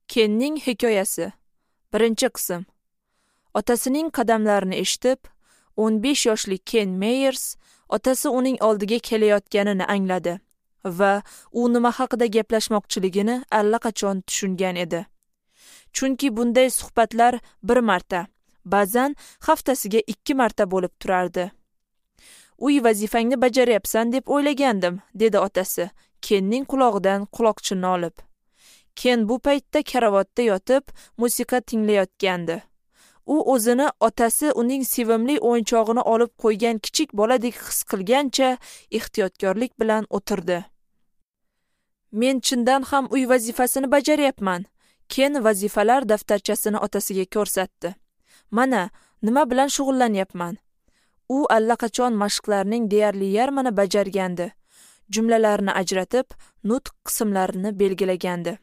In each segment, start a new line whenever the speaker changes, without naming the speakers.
Kenning hikoyasi. 1-qism. Otasining qadamlarini eshitib, 15 yoshli Ken Meyers otasi uning oldiga kelayotganini angladi va u nima haqida gaplashmoqchiligini allaqachon tushungan edi. Chunki bunday suhbatlar bir marta, ba'zan haftasiga 2 marta bo'lib turardi. "Uy vazifangni bajaryapsan deb o'ylagandim", dedi otasi, Kenning qulog'idan quloqchinni olib. Ken bu paytda karavotda yotib, musiqa tinglayotgandi. U o'zini otasi uning sevimli o'yinchog'ini olib qo'ygan kichik boladek his qilgancha ehtiyotkorlik bilan o'tirdi. "Men chindan ham uy vazifasini bajaryapman." Ken vazifalar daftarchasini otasiga ko'rsatdi. "Mana, nima bilan shug'ullanyapman." U allaqachon mashqlarning deyarli yarmini bajargandi. Jumlalarni ajratib, nutq qismlarini belgilagandi.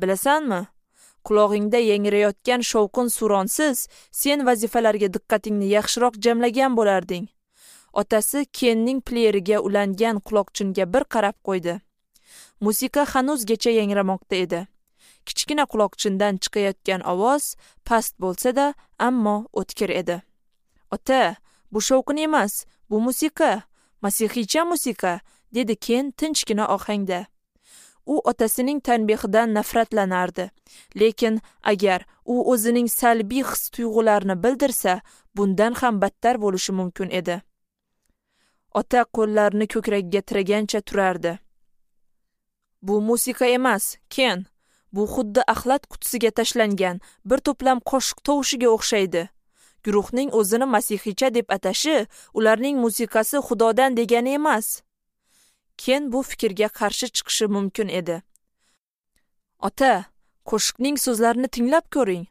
"Bilasanmi? Qulog'ingda yangrayotgan shovqin suronsiz sen vazifalarga diqqatingni yaxshiroq jamlagan bo'larding." Otasi Kenning pleyeriga ulangan quloqchinga bir qarab qo'ydi. Musiqa hanuzgacha yangramoqda edi. Kichkina quloqchindan chiqayotgan ovoz past bo'lsa-da, ammo o'tkir edi. "Ota, bu shovqin emas, bu musiqa, masihiycha musiqa", dedi Ken tinchgina ohangda. U otasining tanbehidan nafratlanardi. Lekin agar u o'zining salbiy his-tuyg'ularini bildirsa, bundan ham battar bo'lishi mumkin edi. Ota qo'llarini ko'kragiga tiragancha turardi. "Bu musiqa emas, Ken. Bu xuddi axlat qutisiga tashlangan bir to'plam qoshiq tovushiga o'xshaydi. Guruhning o'zini masihiycha deb atashi, ularning musiqasi Xudodan degani emas." Ken bu fikrga qarshi chiqishi mumkin edi. "Ota, qo'shiqning so'zlarini tinglab ko'ring.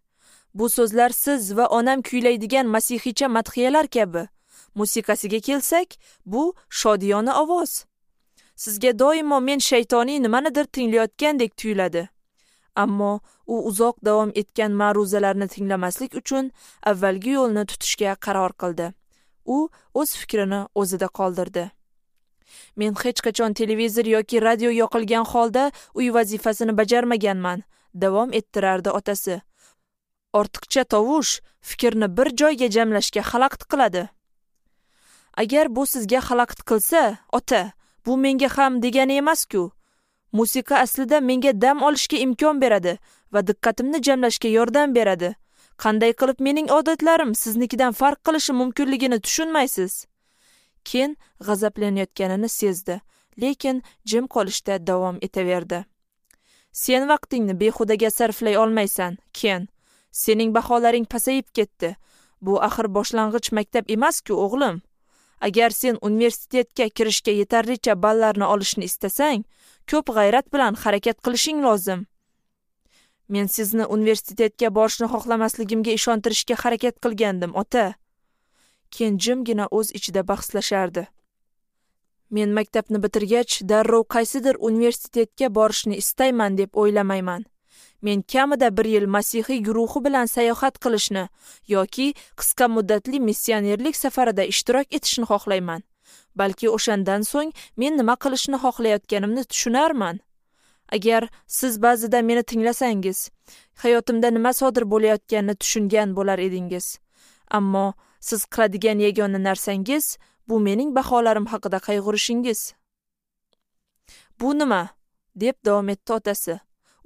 Bu so'zlar siz va onam kuylaydigan masihiycha madhiyalar kabi. Musiqasiga kelsak, bu shodiyona ovoz. Sizga doimo men shaytoniy nimanidir tinglayotgandek tuyuladi." Ammo u uzoq davom etgan ma'ruzalarni tinglamaslik uchun avvalgi yo'lni tutishga qaror qildi. U o'z fikrini o'zida qoldirdi. "Men hech qachon televizor yoki radio yoqilgan holda uy vazifasini bajarmaganman", davom ettirardi otasi. "Ortiqcha tovush fikrni bir joyga jamlashga xalaqit qiladi." "Agar bu sizga xalaqit qilsa, ota, bu menga ham degani emas-ku. Musiqa aslida menga dam olishga imkon beradi va diqqatimni jamlashga yordam beradi. Qanday qilib mening odatlarim siznikidan farq qilishi mumkinligini tushunmaysiz." Ken g'azablanayotganini sezdi, lekin jim qolishda davom etaverdi. "Sen vaqtingni behudaga sarflay olmaysan, Ken. Sening baholaring pasayib ketdi. Bu axir boshlang'ich maktab emas-ku, o'g'lim. Agar sen universitetga kirishga yetarlicha ballarni olishni istasang, ko'p g'ayrat bilan harakat qilishing lozim. Men sizni universitetga borishni xohlamasligimga ishontirishga harakat qilgandim, ota." Ken jimgina o'z ichida bahslashardi. "Men maktabni bitirgach, darrov qaysidir universitetga borishni istayman deb o'ylamayman. Men kamida bir yil masihiy guruhi bilan sayohat qilishni yoki qisqa muddatli missionerlik safarida ishtirok etishni xohlayman. Balki o'shandan so'ng men nima qilishni xohlayotganimni tushunarman. Agar siz ba'zida meni tinglasangiz, hayotimda nima sodir bo'layotganini tushungan bo'lar edingiz. Ammo siz qiladigan yagona narsangiz bu mening baholarim haqida qayg'urishingiz." "Bu nima?" deb davom etdi otasi.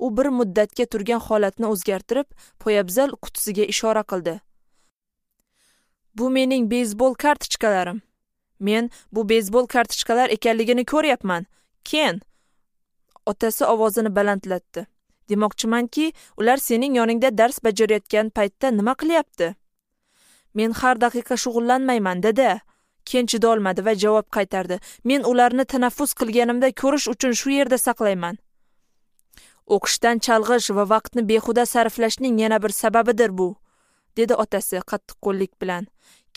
U bir muddatga turgan holatni o'zgartirib, poyabzal qutisiga ishora qildi. "Bu mening beyzbol kartochkalarim. Men bu beyzbol kartochkalar ekanligini ko'ryapman, Ken." Otasi ovozini balandlatdi. "Demoqchimanki, ular sening yoningda dars bajarayotgan paytda nima qilyapti?" "Men har daqiqa shug'ullanmayman, dada." Ken chidolmadi va javob qaytardi. "Men ularni tanaffus qilganimda ko'rish uchun shu yerda saqlayman." "O'qishdan chalg'ish va vaqtni behuda sarflashning yana bir sababidir bu", dedi otasi qattiqqo'llik bilan.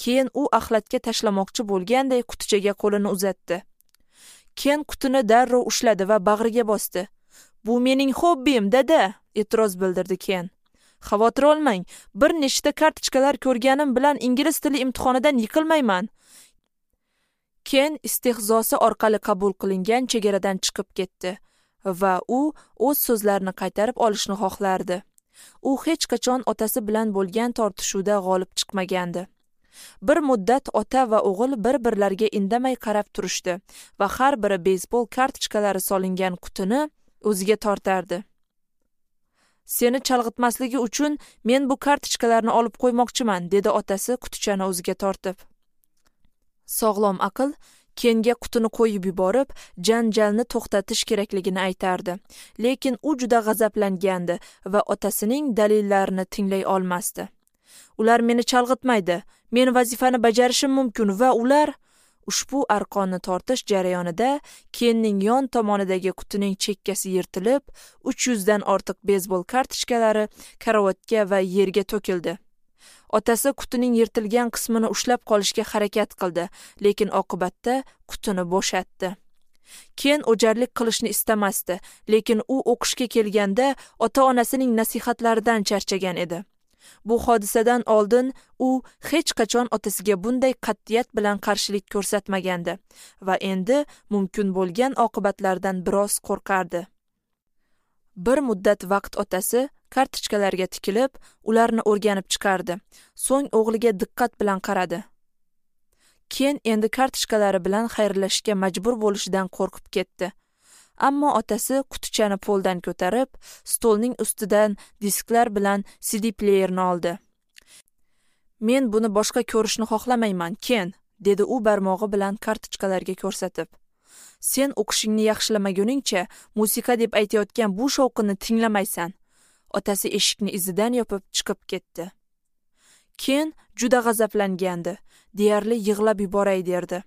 Keyin u axlatga tashlamoqchi bo'lganday qutichaga qo'lini uzatdi. Ken qutini darrov ushladi va bag'riga bosdi. "Bu mening hobbim, dada", e'tiroz bildirdi Ken. "Xavotir olmang, bir nechta kartochkalar ko'rganim bilan ingliz tili imtihonidan yiqilmayman." Ken istehzosi orqali qabul qilingan chegaradan chiqib ketdi. Va u o'z so'zlarini qaytarib olishni xohlardi. U hech qachon otasi bilan bo'lgan tortishuvda g'olib chiqmagandi. Bir muddat ota va o'g'il bir-birlariga indamay qarab turishdi va har biri beysbol kartochkalari solingan qutini o'ziga tortardi. Seni chalg'itmasligi uchun men bu kartochkalarni olib qo'ymoqchiman, dedi otasi qutichani o'ziga tortib. Sog'lom aql Kenga qutini qo'yib yuborib, janjalni to'xtatish kerakligini aytardi. Lekin u juda g'azablangandi va otasining dalillarini tinglay olmasdi. Ular meni chalg'itmaydi. Men vazifani bajarishim mumkin va ular ushbu arqonni tortish jarayonida Kenning yon tomonidagi qutining chekkasi yirtilib, 300 dan ortiq beysbol kartochkalari karavotga va yerga to'kildi. Otasi qutining yirtilgan qismini ushlab qolishga harakat qildi, lekin oqibatda qutini bo'shatdi. Ken o'jarlik qilishni istamasdi, lekin u o'qishga kelganda ota-onasining nasihatlaridan charchagan edi. Bu hodisadan oldin u hech qachon otasiga bunday qat'iyat bilan qarshilik ko'rsatmagandi va endi mumkin bo'lgan oqibatlardan biroz qo'rqardi. Bir muddat vaqt otasi kartochkalarga tikilib, ularni o'rganib chiqardi. So'ng o'g'liga diqqat bilan qaradi. Ken endi kartochkalari bilan xayrlashishga majbur bo'lishidan qo'rqib ketdi. Ammo otasi qutichani poldan ko'tarib, stolning ustidan disklar bilan CD playerni oldi. Men buni boshqa ko'rishni xohlamayman, Ken, dedi u barmog'i bilan kartochkalarga ko'rsatib. Sen o'qishingni yaxshilamaguningcha musiqa deb aytayotgan bu shovqinni tinglamaysan. Otasi eshikni izidan yopib chiqib ketdi. Ken juda g'azablangandi, deyarli yig'lab yuboray derdi.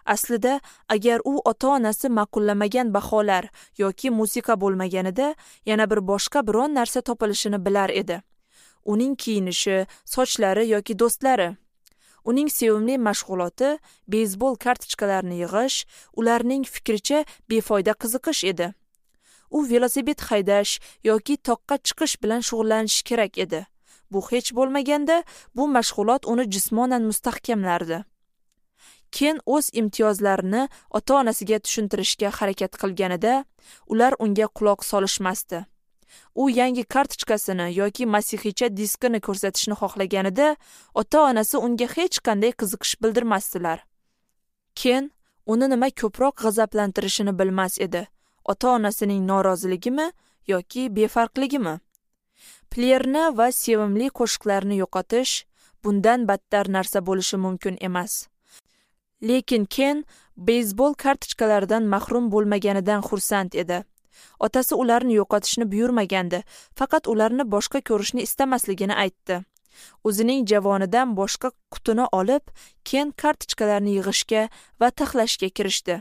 Aslida, agar u ota-onasi ma'qullamagan baholar yoki musiqa bo'lmaganida, yana bir boshqa biron narsa topilishini bilar edi. Uning kiyinishi, sochlari yoki do'stlari. Uning sevimli mashg'uloti beysbol kartochkalarini yig'ish, ularning fikricha befoyda qiziqish edi. U velosiped haydash yoki toqqa chiqish bilan shug'ullanishi kerak edi. Bu hech bo'lmaganda, bu mashg'ulot uni jismonan mustahkamlardi. Ken o'z imtiyozlarini ota-onasiga tushuntirishga harakat qilganida, ular unga quloq solishmasdi. U yangi kartochkasini yoki masihiycha diskini ko'rsatishni xohlaganida, ota-onasi unga hech qanday qiziqish bildirmasdilar. Ken uni nima ko'proq g'azablantirishini bilmas edi. Ota-onasining noroziligimi yoki befarqligimi? Playerni va sevimli qo'shiqlarni yo'qotish bundan battar narsa bo'lishi mumkin emas. Lekin Ken beysbol kartochkalaridan mahrum bo'lmaganidan xursand edi. Otasi ularni yo'qotishni buyurmagandi, faqat ularni boshqa ko'rishni istamasligini aytdi. O'zining javonidan boshqa qutini olib, Ken kartochkalarni yig'ishga va taxlashga kirishdi.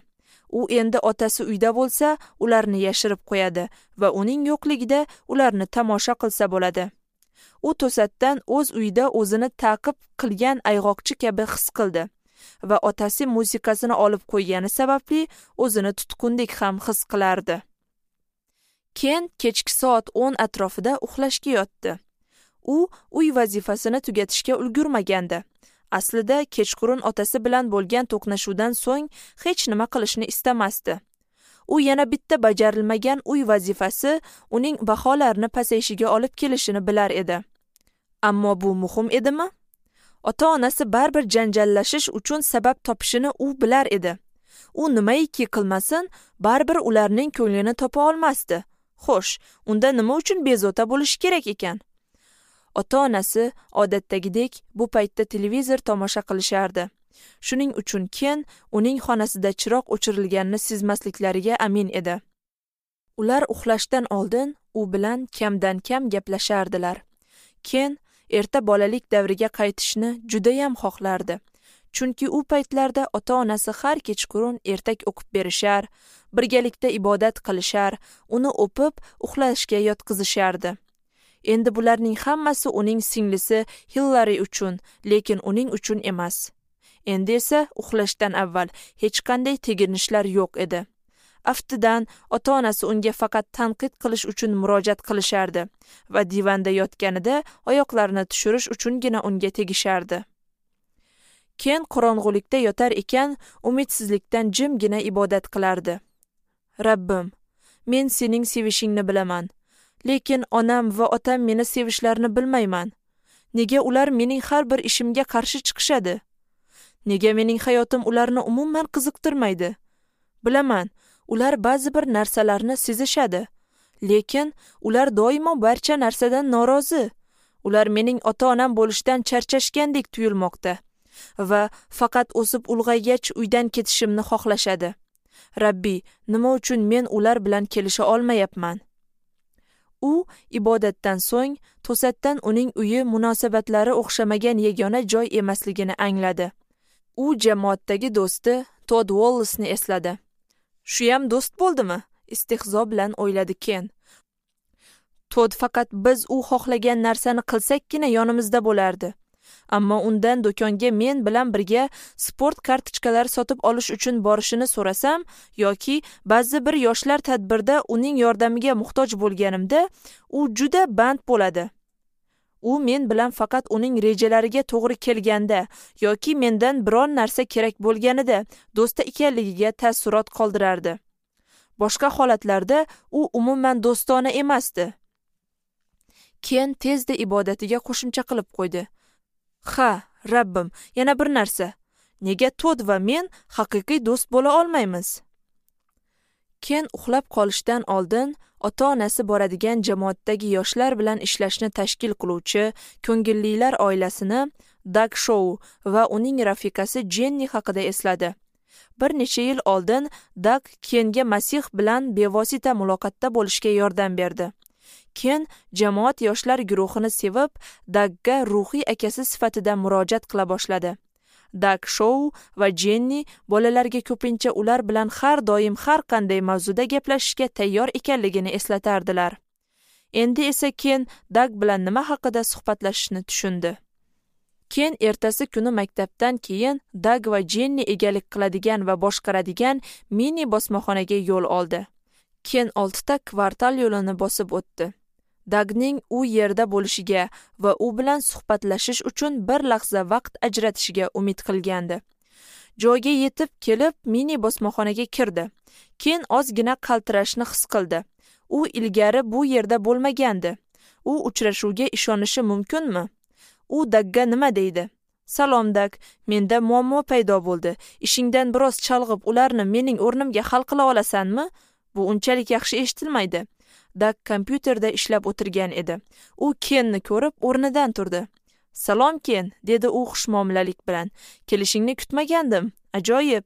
U endi otasi uyda bo'lsa, ularni yashirib qo'yadi va uning yo'qligida ularni tomosha qilsa bo'ladi. U to'satdan o'z uyida o'zini ta'qib qilgan ayg'oqchi kabi his qildi va otasi musiqasini olib qo'ygani sababli o'zini tutqundek ham his qilardi. Ken kechki soat 10 atrofida uxlashga yotdi. U uy vazifasini tugatishga ulgurmagandi. Aslida kechqurun otasi bilan bo'lgan to'qnashuvdan so'ng hech nima qilishni istamasdi. U yana bitta bajarilmagan uy vazifasi uning baholarini pasayishiga olib kelishini bilar edi. Ammo bu muhim edimi? Ota-onasi baribir janjallashish uchun sabab topishini u bilar edi. U nimaiki qilmasin, baribir ularning ko'nglini topa olmasdi. Xo'sh, unda nima uchun bezovta bo'lishi kerak ekan? Ota-onasi odatdagidek bu paytda televizor tomosha qilishardi. Shuning uchun Ken uning xonasida chiroq o'chirilganini sezmasliklariga amin edi. Ular uxlashdan oldin u bilan kamdan-kam gaplashardilar. Ken erta bolalik davriga qaytishni judayam xohlardi. Chunki u paytlarda ota-onasi har kechqurun ertak o'qib berishar, birgalikda ibodat qilishar, uni o'pib uxlashga yotqizishardi. Endi bularning hammasi uning singlisi Hillari uchun, lekin uning uchun emas. Endi esa uxlashdan avval hech qanday teginishlar yo'q edi. Aftidan ota-onasi unga faqat tanqid qilish uchun murojaat qilishardi va divanda yotganida oyoqlarini tushirish uchungina unga tegishardi. Ken qorong'ulikda yotar ekan, umidsizlikdan jimgina ibodat qilardi. Rabbim, Men sening sevishingni bilaman. Lekin onam va otam meni sevishlarini bilmayman. Nega ular mening har bir ishimga qarshi chiqishadi? Nega mening hayotim ularni umuman qiziqtirmaydi? Bilaman, ular ba'zi bir narsalarni sezishadi. Lekin ular doimo barcha narsadan norozi. Ular mening ota-onam bo'lishdan charchashgandek tuyulmoqda va faqat o'sib ulg'aygach uydan ketishimni xohlashadi. Rabbi, nima uchun men ular bilan kelisha olmayapman? U ibodatdan so'ng to'satdan uning uyi munosabatlari o'xshamagan yagona joy emasligini angladi. U jamoatdagi do'sti Todd Wallace'ni esladi. Shuyam do'st bo'ldimi? Istehzo bilan o'yladi Ken. Todd faqat biz u xohlagan narsani qilsakkina yonimizda bo'lardi. Ammo undan do'konga men bilan birga sport kartochkalari sotib olish uchun borishini so'rasam yoki ba'zi bir yoshlar tadbirda uning yordamiga muhtoj bo'lganimda, u juda band bo'ladi. U men bilan faqat uning rejalariga to'g'ri kelganda yoki mendan biron narsa kerak bo'lganida do'sti ekanligiga taassurot qoldirardi. Boshqa holatlarda u umuman do'stona emasdi. Ken tezda ibodatiga qo'shimcha qilib qo'ydi. Ha, Rabbim, yana bir narsa. Nega Todd va men haqiqiy do'st bo'la olmaymiz? Ken uxlab qolishdan oldin ota-onasi boradigan jamoatdagi yoshlar bilan ishlashni tashkil qiluvchi ko'ngillilar oilasini Dag Shou va uning rafiqasi Jenni haqida esladi. Bir necha yil oldin Dag Kenga Masih bilan bevosita muloqotda bo'lishga yordam berdi. Ken jamoat yoshlar guruhini sevib, Dagga ruhiy akasi sifatida murojaat qila boshladi. Dag Shou va Jenni bolalarga ko'pincha ular bilan har doim har qanday mavzuda gaplashishga tayyor ekanligini eslatardilar. Endi esa Ken Dag bilan nima haqida suhbatlashishni tushundi. Ken ertasi kuni maktabdan keyin Dag va Jenni egalik qiladigan va boshqaradigan mini bosmaxonaga yo'l oldi. Ken 6 ta kvartal yo'lini bosib o'tdi. Dagning u yerda bo'lishiga va u bilan suhbatlashish uchun bir lahza vaqt ajratishiga umid qilgandi. Joyga yetib kelib mini bosmaxonaga kirdi. Ken ozgina qaltirashni his qildi. U ilgari bu yerda bo'lmagandi. U uchrashuvga ishonishi mumkinmi? U Dagga nima deydi? Salom Dag, menda muammo paydo bo'ldi. Ishingdan biroz chalg'ib, ularni mening o'rnimga hal qila olasanmi? Bu unchalik yaxshi eshitilmaydi. Dag kompyuterda ishlab o'tirgan edi. U Kenni ko'rib o'rnidan turdi. Salom Ken, dedi u xushmuomalalik bilan. Kelishingni kutmagandim. Ajoyib.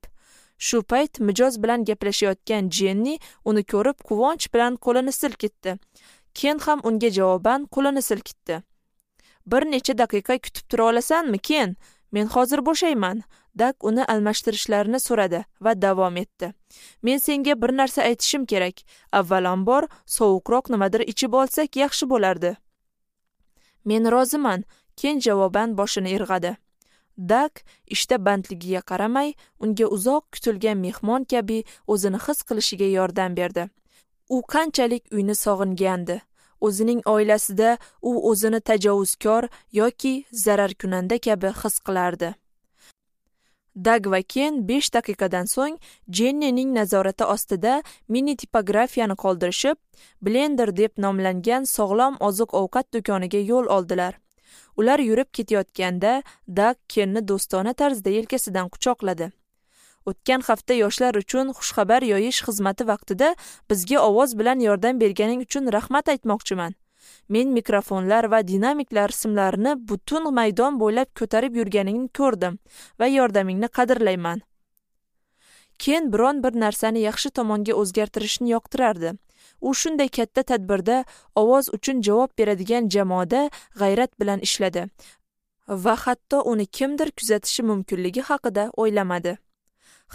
Shu payt mijoz bilan gaplashayotgan Jenni uni ko'rib quvonch bilan qo'lini silkitdi. Ken ham unga javoban qo'lini silkitdi. Bir necha daqiqa kutib tura olasanmi, Ken? Men hozir bo'shayman. Dag uni almashtirishlarini so'radi va davom etdi. Men senga bir narsa aytishim kerak. Avvalambor sovuqroq nimadir ichib olsak yaxshi bo'lardi. Men roziman, Ken javoban boshini irg'adi. Dag ishda bandligiga qaramay, unga uzoq kutilgan mehmon kabi o'zini his qilishiga yordam berdi. U qanchalik uyni sog'ingandi. O'zining oilasida u o'zini tajovuzkor yoki zararkunanda kabi his qilardi. Dag va Ken 5 daqiqadan so'ng Jennining nazorati ostida mini tipografiyani qoldirishib, Blender deb nomlangan sog'lom oziq-ovqat do'koniga yo'l oldilar. Ular yurib ketayotganda Dag Kenni do'stona tarzda yelkasidan quchoqladi. O'tgan hafta yoshlar uchun xushxabar yoyish xizmati vaqtida bizga ovoz bilan yordam berganing uchun rahmat aytmoqchiman. Men mikrofonlar va dinamiklar simlarini butun maydon bo'ylab ko'tarib yurganingni ko'rdim va yordamingni qadrlayman. Ken biron bir narsani yaxshi tomonga o'zgartirishni yoqtirardi. U shunday katta tadbirda ovoz uchun javob beradigan jamoada g'ayrat bilan ishladi va hatto uni kimdir kuzatishi mumkinligi haqida o'ylamadi.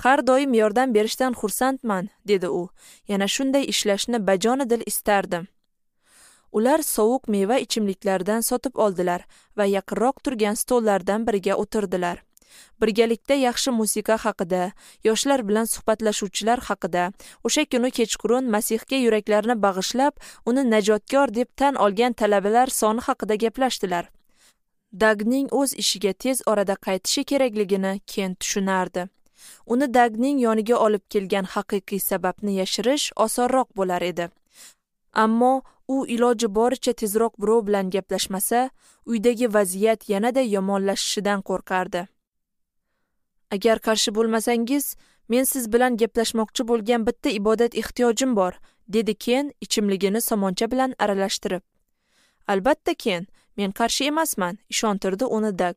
Har doim yordam berishdan xursandman, dedi u. Yana shunday ishlashni bajonidil istardim. Ular sovuq meva ichimliklardan sotib oldilar va yaqinroq turgan stollardan biriga o'tirdilar. Birgalikda yaxshi musiqa haqida, yoshlar bilan suhbatlashuvchilar haqida, o'sha kuni kechqurun Masihga yuraklarini bag'ishlab, uni najotkor deb tan olgan talabalar soni haqida gaplashdilar. Dagning o'z ishiga tez orada qaytishi kerakligini Ken tushunardi. Uni Dagning yoniga olib kelgan haqiqiy sababni yashirish osonroq bo'lar edi. Ammo u iloji boricha tezroq birov bilan gaplashmasa, uydagi vaziyat yanada yomonlashishidan qo'rqardi. Agar qarshi bo'lmasangiz, men siz bilan gaplashmoqchi bo'lgan bitta ibodat ehtiyojim bor, dedi Ken ichimligini somoncha bilan aralashtirib. Albatta Ken, men qarshi emasman, ishontirdi uni Dag.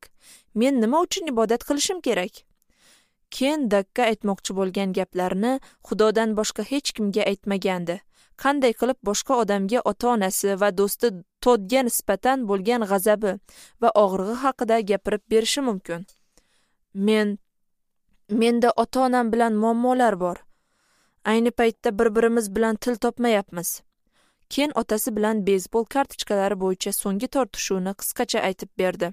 Men nima uchun ibodat qilishim kerak? Ken Dagga aytmoqchi bo'lgan gaplarini Xudodan boshqa hech kimga aytmagandi. Qanday qilib boshqa odamga ota-onasi va do'sti Todga nisbatan bo'lgan g'azabi va og'rig'i haqida gapirib berishi mumkin? Menda ota-onam bilan muammolar bor. Ayni paytda bir-birimiz bilan til topmayapmiz. Ken otasi bilan beysbol kartochkalari bo'yicha so'nggi tortishuvni qisqacha aytib berdi.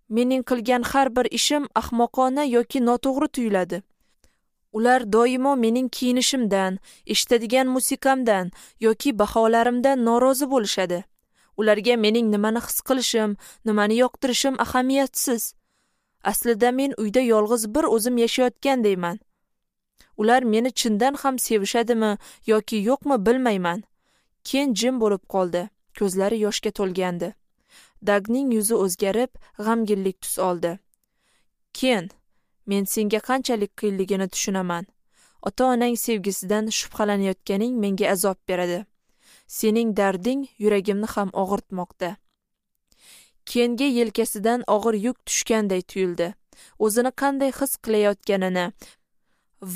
Mening qilgan har bir ishim ahmoqona yoki noto'g'ri tuyuladi. Ular doimo mening kiyinishimdan, eshitadigan musiqamdan yoki baholarimdan norozi bo'lishadi. Ularga mening nimani his qilishim, nimani yoqtirishim ahamiyatsiz. Aslida men uyda yolg'iz bir o'zim yashayotgandayman. Ular meni chindan ham sevishadimi yoki yo'qmi bilmayman. Ken jim bo'lib qoldi. Ko'zlari yoshga to'lgandi. Dagning yuzi o'zgarib, g'amginlik tus oldi. Ken, men senga qanchalik qiyinligini tushunaman. Ota-onang sevgisidan shubhalanayotganing menga azob beradi. Sening darding yuragimni ham og'irtmoqda. Kenga yelkasidan og'ir yuk tushganday tuyuldi. O'zini qanday his qilayotganini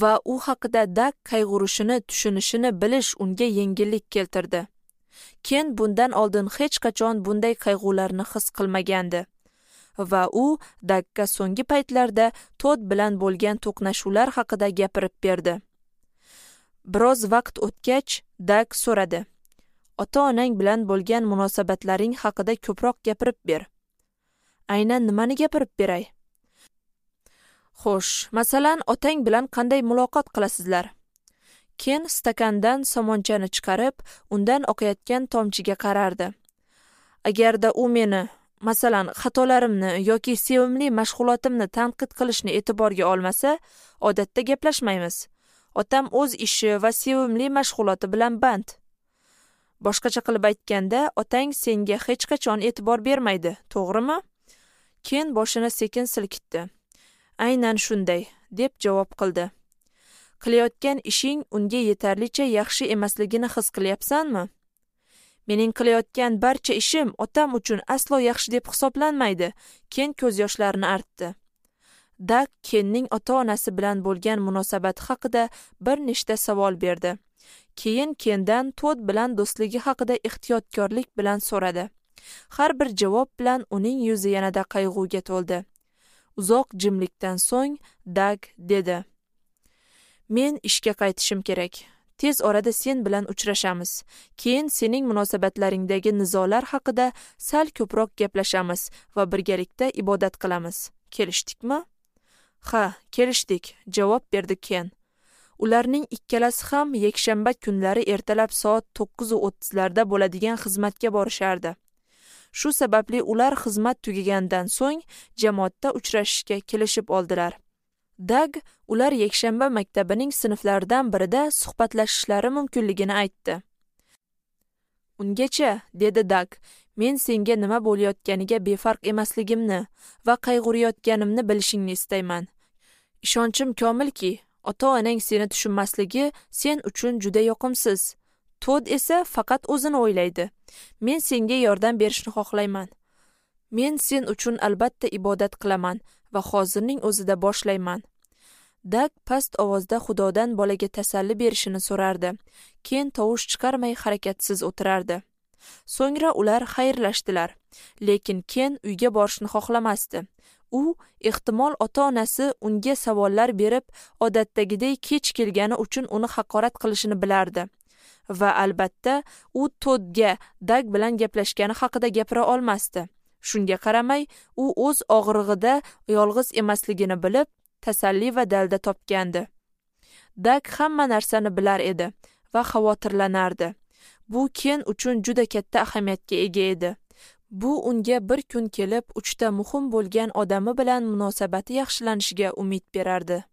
va u haqida Dag qayg'urishini tushunishini bilish unga yengillik keltirdi. Ken bundan oldin hech qachon bunday qayg'ularni his qilmagandi va u Dagga so'nggi paytlarda Tod bilan bo'lgan to'qnashuvlar haqida gapirib berdi. Biroz vaqt o'tgach, Dag so'radi: "Ota-onang bilan bo'lgan munosabatlaring haqida ko'proq gapirib ber." Aynan nimani gapirib beray? Xo'sh, masalan, otang bilan qanday muloqot qilasizlar? Ken stakandan somonchani chiqarib, undan oqayotgan tomchiga qarardi. Agarda u meni, masalan, xatolarimni yoki sevimli mashg'ulotimni tanqid qilishni e'tiborga olmasa, odatda gaplashmaymiz. Otam o'z ishi va sevimli mashg'uloti bilan band. Boshqacha qilib aytganda, otang senga hech qachon e'tibor bermaydi, to'g'rimi? Ken boshini sekin silkitdi. Aynan shunday, deb javob qildi. Qilayotgan ishing unga yetarlicha yaxshi emasligini his qilyapsanmi? Mening qilayotgan barcha ishim otam uchun aslo yaxshi deb hisoblanmaydi. Ken ko'z yoshlarini artdi. Dag Kenning ota-onasi bilan bo'lgan munosabati haqida bir nechta savol berdi. Keyin Kendan Tod bilan do'stligi haqida ehtiyotkorlik bilan so'radi. Har bir javob bilan uning yuzi yanada qayg'uga to'ldi. Uzoq jimlikdan so'ng Dag dedi: Men ishga qaytishim kerak. Tez orada sen bilan uchrashamiz. Keyin sening munosabatlaringdagi nizolar haqida sal ko'proq gaplashamiz va birgalikda ibodat qilamiz. Kelishdikmi? Ha, kelishdik, javob berdi Ken. Ularning ikkalasi ham yakshanba kunlari ertalab soat 9:30larda bo'ladigan xizmatga borishardi. Shu sababli ular xizmat tugagandan so'ng jamoatda uchrashishga kelishib oldilar. Dag ular yakshanba maktabining sinflaridan birida suhbatlashishlari mumkinligini aytdi. Ungacha, dedi Dag, men senga nima bo'layotganiga befarq emasligimni va qayg'urayotganimni bilishingni istayman. Ishonchim komilki, ota-onang seni tushunmasligi sen uchun juda yoqimsiz. Tod esa faqat o'zini o'ylaydi. Men senga yordam berishni xohlayman. Men sen uchun albatta ibodat qilaman va hozirning o'zida boshlayman. Dag past ovozda Xudodan bolaga tasalli berishini so'rardi. Ken tovush chiqarmay harakatsiz o'tirardi. So'ngra ular xayrlashdilar. Lekin Ken uyga borishni xohlamasdi. U ehtimol ota-onasi unga savollar berib, odatdagidek kech kelgani uchun uni haqorat qilishini bilardi. Va albatta u Todga Dag bilan gaplashgani haqida gapira olmasdi. Shunga qaramay, u o'z og'rig'ida yolg'iz emasligini bilib, tasalli va dalda topgandi. Dag hamma narsani bilar edi va xavotirlanardi. Bu Ken uchun juda katta ahamiyatga ega edi. Bu unga bir kun kelib, uchta muhim bo'lgan odami bilan munosabati yaxshilanishiga umid berardi.